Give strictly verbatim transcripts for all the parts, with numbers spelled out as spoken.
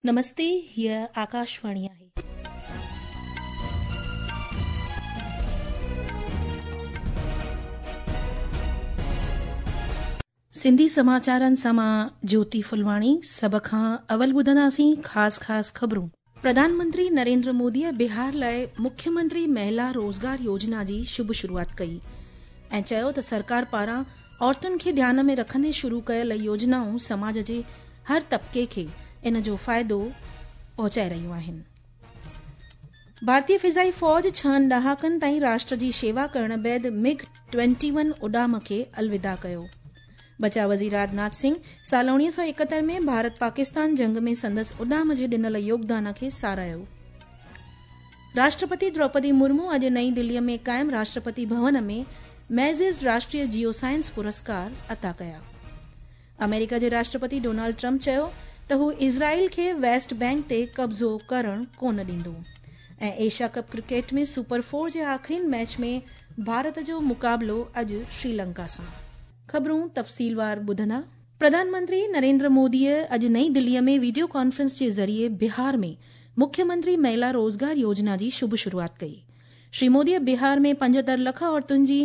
नमस्ते, हीअ आकाशवाणी आहे. सिंधी समाचारनि सां मां ज्योति फुलवाणी। सभ खां अवल ॿुधंदासीं ख़ासि ख़ासि ख़बरूं। प्रधानमंत्री नरेंद्र मोदीअ बिहार लाइ मुख्यमंत्री महिला रोज़गार योजना जी शुभ शुरूआत कई ऐं चयो त सरकार पारां औरतुनि खे ध्यान में रखंदे शुरू कयल योजनाऊं समाज जे हर तबिके खे इन जो फ़ाइदो पहुचाए रहियूं आहिनि। भारतीय फ़िज़ाई फ़ौज छहनि ॾहाकनि ताईं राष्ट्र जी शेवा करण बाद मिग ट्वेंटी वन उॾाम खे अलविदा कयो। बचाव वज़ीर राजनाथ सिंह साल उणिवीह सौ एकहतरि में भारत पाकिस्तान जंग में संदसि उॾाम जे ॾिनल योगदान खे साराहियो। राष्ट्रपति द्रौपदी मुर्मू अॼु नई दिल्लीअ में क़ाइमु राष्ट्रपति भवन में मैज़िज़ राष्ट्रीय जियो साइंस पुरस्कार अता कया। अमेरिका जे राष्ट्रपति डोनाल्ड ट्रंप चयो त हू इज़राइल खे वेस्ट बैंक ते कब्ज़ो करण कोन ॾींदो। ऐं Asia cup cricket में सुपर फोर जे आख़िरीन मैच में भारत जो मुक़ाबिलो अॼु श्रीलंका सां। ख़बरूं तफ़सीलवार ॿुधंदा। प्रधानमंत्री नरेंद्र मोदीअ अॼु नई दिल्लीअ में वीडियो कॉन्फ्रेंस जे ज़रिए बिहार में मुख्यमंत्री महिला रोज़गार योजना जी शुभ शुरूआत कई। श्री मोदीअ बिहार में पंजहतरि लख औरतुनि जी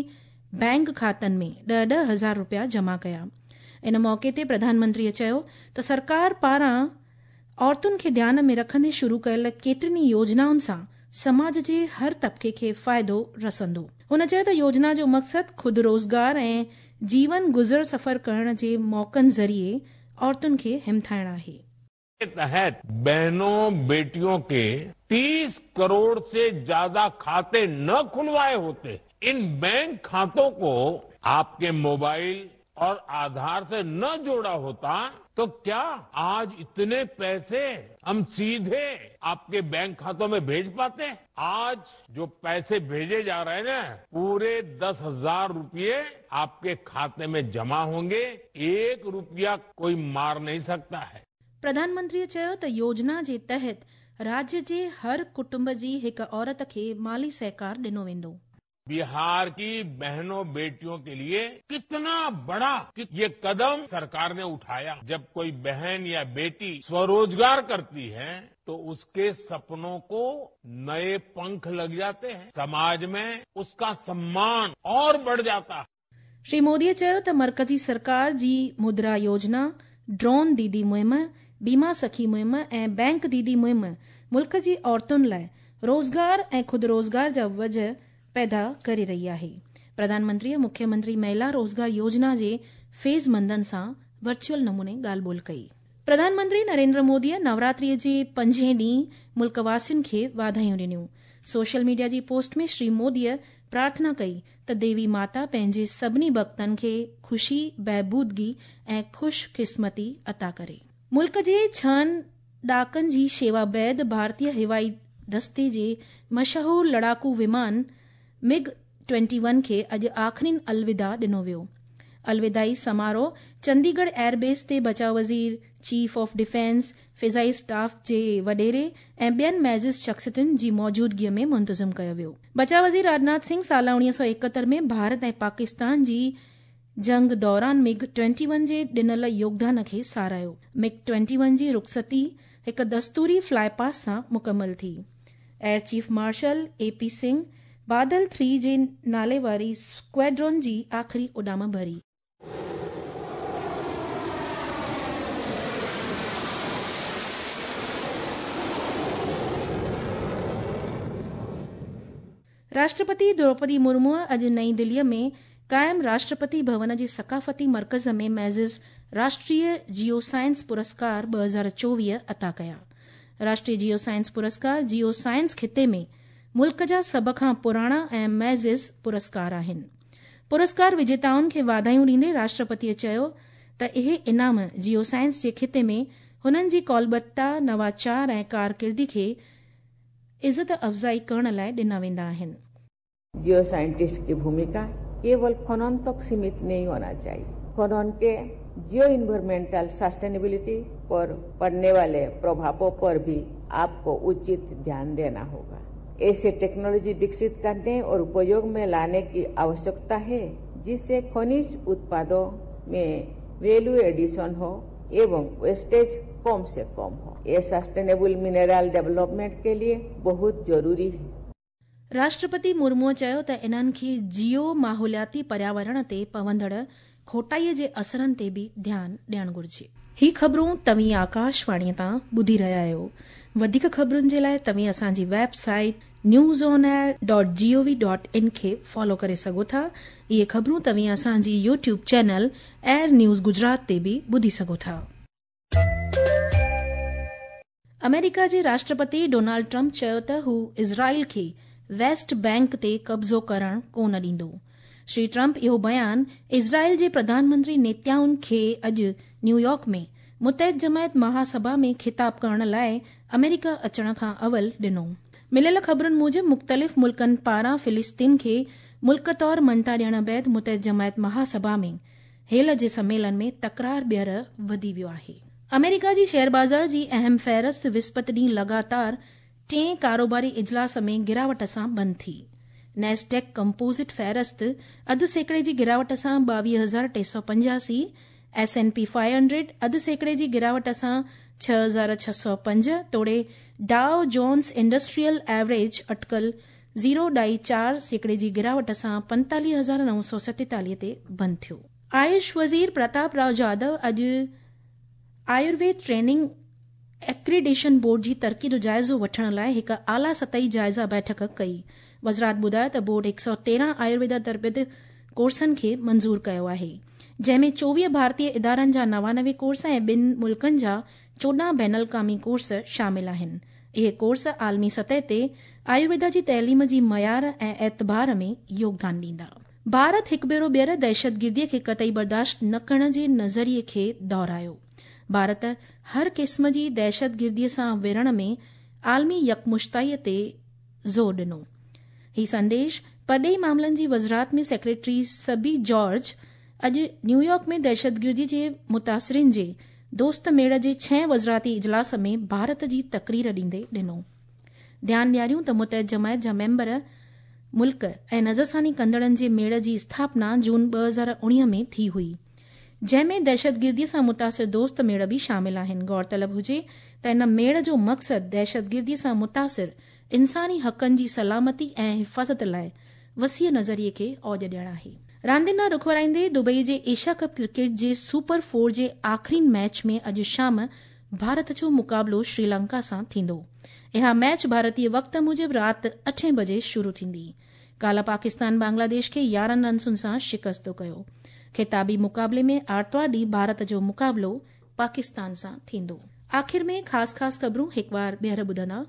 बैंक खातनि में ॾह ॾह हज़ार रुपया जमा कया। इन मौक़े ते प्रधानमंत्रीअ चयो त सरकार पारां औरतुनि खे ध्यान में रखंदे शुरू कयल केतिरियुनि ई योजनाउनि सां समाज जे हर तबिके खे फ़ाइदो रसंदो। हुन चयो त योजना जो मक़सदु ख़ुदि रोज़गार ऐं जीवन गुज़र सफ़र करण जे मौक़नि ज़रिए औरतुनि खे हिमथाइण आहे। के तहत बहनों बेटियों के तीस करोड़ से ज्यादा खाते न खुलवाए होते, इन बैंक खातों को आपके मोबाइल और आधार से न जोड़ा होता तो क्या आज इतने पैसे हम सीधे आपके बैंक खातों में भेज पाते? आज जो पैसे भेजे जा रहे हैं ना, पूरे दस हजार रुपये आपके खाते में जमा होंगे, एक रुपया कोई मार नहीं सकता है। प्रधानमंत्रीअ चयो त योजना जे तहत राज्य जे हर कुटुंब जी हिकु औरत खे माली सहकार ॾिनो वेंदो। बिहार की बहनों बेटियों के लिए कितना बड़ा ये कदम सरकार ने उठाया। जब कोई बहन या बेटी स्वरोजगार करती है तो उसके सपनों को नए पंख लग जाते हैं, समाज में उसका सम्मान और बढ़ जाता है। श्री मोदीअ चयो त मरकज़ी सरकार जी मुद्रा योजना, ड्रोन दीदी मुहिम, बीमा सखी मुहिम ऐं बैंक दीदी मुहिम मुल्क जी औरतुनि लाइ रोज़गार ऐं ख़ुदि रोज़गार जा वजह पैदा करे रही आहे। प्रधानमंत्रीअ मुख्यमंत्री महिला रोज़गार योजना जे फैज़मंदनि सां वर्चुअल नमूने ॻाल्हि ॿोल कई। प्रधानमंत्री नरेंद्र मोदीअ नवरात्रीअ जे पंजें ॾींहुं मुल्क वासियुनि खे वाधायूं ॾिनियूं। सोशल मीडिया जी पोस्ट में श्री मोदीअ प्रार्थना कई त देवी माता पंहिंजे सभिनी भक्तनि खे ख़ुशी, बहबूदगी ऐं ख़ुशकिस्मती अता करे। मुल्क जे छहनि ॾहाकनि जी शेवा बाद भारतीय हवाई दस्ते जे मशहूर लड़ाकू विमान मिग ट्वेंटी वन खे अॼु आख़िरीन अलविदा ॾिनो वियो। अलविदाई समारोह चंडीगढ़ एयरबेस ते बचाव वज़ीर, चीफ ऑफ डिफेंस, फ़िज़ाई स्टाफ जे वॾेरे ऐं ॿियनि मैज़िज़ शख़्सियतुनि जी मौजूदगीअ में मुंतज़िम कयो वियो। बचाव वज़ीर राजनाथ सिंह साल उणिवीह सौ एकहतरि में भारत ऐं पाकिस्तान जी जंग दौरान मिग ट्वेंटी वन जे ॾिनल योगदान खे साराहियो। मिग ट्वेंटी वन जी रुख़सती हिकु दस्तूरी फ्लाई पास सां मुकमल थी। Air chief marshal A P Singh Badal three जे नाले वारी स्क्वाड्रॉन जी आख़िरी उॾाम भरी। राष्ट्रपति द्रौपदी मुर्मूअ अॼु नई दिल्लीअ में क़ाइमु राष्ट्रपति भवन जे सकाफ़ती मर्कज़ में मैज़िज़ राष्ट्रीय जियो साइंस पुरस्कार ॿ हज़ार चोवीह अता कया। राष्ट्रीय जियो साइंस पुरस्कार जियो साइंस ख़िते में मुल्क जा सभ खां पुराणा ऐं मैज़िज़ पुरस्कार आहिनि। पुरस्कार विजेताउनि खे वाधायूं ॾींदे राष्ट्रपतीअ चयो त इहे इनाम जियो साइंस जे ख़िते में हुननि जी क़ौलबत्ता, नवाचार ऐं कारकिर्दी खे इज़त अफ़ज़ाई करण लाइ ॾिना वेंदा आहिनि। जियो साइंटिस्ट की भूमिका केवल खनन तक सीमित नहीं होना चाहिए। खनन के जियो इन्वायरमेंटल सस्टेनेबिलिटी पर पड़ने वाले प्रभावों पर भी आपको उचित ध्यान देना होगा। ऐसे टेक्नोलॉजी विकसित करने और उपयोग में लाने की आवश्यकता है जिससे खनिज उत्पादों में वैल्यू एडिशन हो एवं वेस्टेज कम से कम हो। ये सस्टेनेबल मिनरल डेवलपमेंट के लिए बहुत जरूरी है। राष्ट्रपति मुर्मूअ चयो त इन्हनि खे जियो माहौलियाती पर्यावरण ते पवंदड़ खोटाईअ जे असरनि ते बि ध्यानु ॾियणु घुरिजे। ही ख़बरूं तव्हीं आकाशवाणीअ तां ॿुधी रहिया आहियो। वधीक ख़बरुनि जे लाइ तव्हीं असांजी website news on air dot G O V dot in खे फॉलो करे सघो था। इहे ख़बरूं तव्हीं असांजी YouTube channel AIR news Gujarat ते बि ॿुधी सघो था। अमेरिका जे राष्ट्रपति डोनाल्ड ट्रंप चयो त हू इज़राइल खे वेस्ट बैंक ते कब्ज़ो करण कोन ॾींदो। श्री ट्रंप इहो बयान इज़राइल जे प्रधानमंत्री नेतन्याहू खे अॼु न्यूयॉर्क में मुतहद जमायत महासभा में खिताब करण लाइ अमेरिका अचण खां अवल ॾिनो। मिलियल ख़बरुनि मूजिबि मुख़्तलिफ़ मुल्कनि पारां फ़िलिस्तीन खे मुल्क तौर मञता ॾियण बाद मुतहद जमायत महासभा में हेल जे सम्मेलन में तकरार ॿीहर वधी वियो आहे। अमेरिका जी शेयर बाज़ार जी अहम फ़हरिस्त विस्पत ॾींहुं लगातार टें कारोबारी इजलास में गिरावट सां बंदि थी। नेस्डेक कंपोजिट फ़हरिस्त अधु सैकड़े जी गिरावट सां ॿावीह हज़ार टे सौ पंजासी, S N P five hundred अधु सैकड़े जी गिरावट सां छह हज़ार छह सौ पंज तोड़े डाओ जोन्स इंडस्ट्रियल एवरेज अटकल ज़ीरो ॾाई चारि सैकड़े जी गिरावट सां पंतालीह हज़ार नौ सौ सतेतालीह ते बंदि थियो। आयुष वज़ीर प्रताप राव जाधव अॼु आयुर्वेद ट्रेनिंग एक्रीडेशन बोर्ड जी तरक़ी जो जाइज़ो वठण लाइ हिकु आला सतही जाइज़ा बैठक कई। वज़ारत ॿुधायो त बोर्ड हिकु सौ तेरहं आयुर्वेदा तरबियत कोर्सनि खे मंज़ूर कयो आहे, जंहिंमें चोवीह भारतीय इदारनि जा नवानवे कोर्स ऐं ॿिनि मुल्कनि जा चोॾहं बैन अल-क़वामी कोर्स शामिल आहिनि। इहे कोर्स आलमी सतह ते आयुर्वेदा जी तइलीम जी मयार ऐं एतबार में योगदान ॾींदा। भारत हिकु भेरो ॿीहर दहशतगिर्दीअ खे कतई बर्दाश्त न करण जे नज़रिए खे दोहरायो। भारत हर क़िस्म जी दहशतगिर्दीअ सां विढ़ण में आलमी यकमुश्ताईअ ते ज़ोर ॾिनो। ही संदेश परॾेही मामलनि जी वज़ारत में सेक्रेटरी सबी जॉर्ज अॼु न्यूयॉर्क में दहशतगिर्दी जे मुतासिरिन जे दोस्त मेड़ जे छह वज़ारती इजलास में भारत जी तकरीर ॾींदे ॾिनो। ध्यानु ॾियारियूं त मुतहद जमायत जा मेंबर मुल्क ऐं नज़रसानी कंदड़नि जे मेड़ जी स्थापना जून ॿ हज़ार उणिवीह में थी हुई, जंहिंमें दहशतगिर्दीअ सां मुतासिर दोस्त मेड़ बि शामिल आहिनि। गौरतलब हुजे त इन मेड़ जो मक़सदु दहशतगिर्दीअ सां मुतासिर इंसानी हक़नि जी सलामती ऐं हिफ़ाज़त लाइ वसीअ नज़रिए खे औज ॾियणु आहे। रांदियुनि ॾांहुं रुख वराईंदे दुबई जे एशिया कप क्रिकेट जे सुपर फोर जे आख़िरी मैच में अॼु शाम भारत जो मुक़ाबिलो श्रीलंका सां थींदो। इहा मैच भारतीय वक़्त मूजिबि राति अठें बजे शुरू थींदी। काल्ह पाकिस्तान बांग्लादेश खे यारहं रनसुनि सां शिकस्त कयो। खिताबी मुक़ाबले में आरतवार ॾींहुं भारत जो मुक़ाबिलो पाकिस्तान सां थींदो। आख़िर में ख़ासि ख़ासि ख़बरूं हिकु बार ॿीहर ॿुधंदा।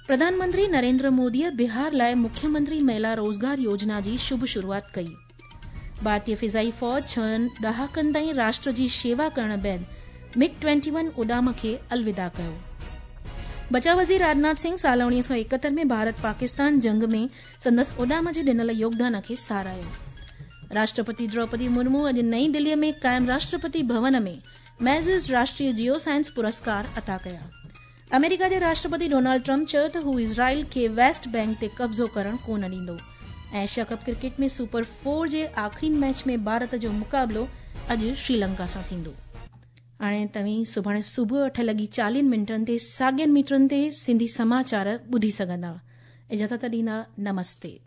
प्रधानमंत्री नरेंद्र मोदीअ बिहार लाइ मुख्यमंत्री महिला रोज़गार योजना जी शुभ शुरूआत कई। भारतीय फ़िज़ाई फ़ौज छहनि ॾहाकनि ताईं राष्ट्र जी शेवा करण बाद मिग ट्वेंटी वन उॾाम खे अलविदा कयो। बचाव वज़ीर राजनाथ सिंह साल उणिवीह सौ एकहतरि में भारत पाकिस्तान जंग में संदसि उॾाम जे ॾिनल योगदान खे सराहियो। राष्ट्रपति द्रौपदी मुर्मू अॼु नई दिल्लीअ में क़ाइम राष्ट्रपति भवन में मैज़िस राष्ट्रीय जियो साइंस पुरस्कार अता कया। अमेरिका जे राष्ट्रपति डोनाल्ड ट्रंप चयो त हू इज़राइल खे वेस्ट बैंक ते कब्ज़ो करण कोन ॾींदो। एशिया कप क्रिकेट में सुपर फोर जे आख़िरी मैच में भारत जो मुक़ाबिलो अॼु श्रीलंका सां थींदो। हाणे तव्हीं सुभाणे सुबुह अठ लॻी चालीह मिंटनि ते साॻियनि मीटरनि ते सिंधी समाचार ॿुधी सघंदा। इजाज़त ॾींदा, नमस्ते।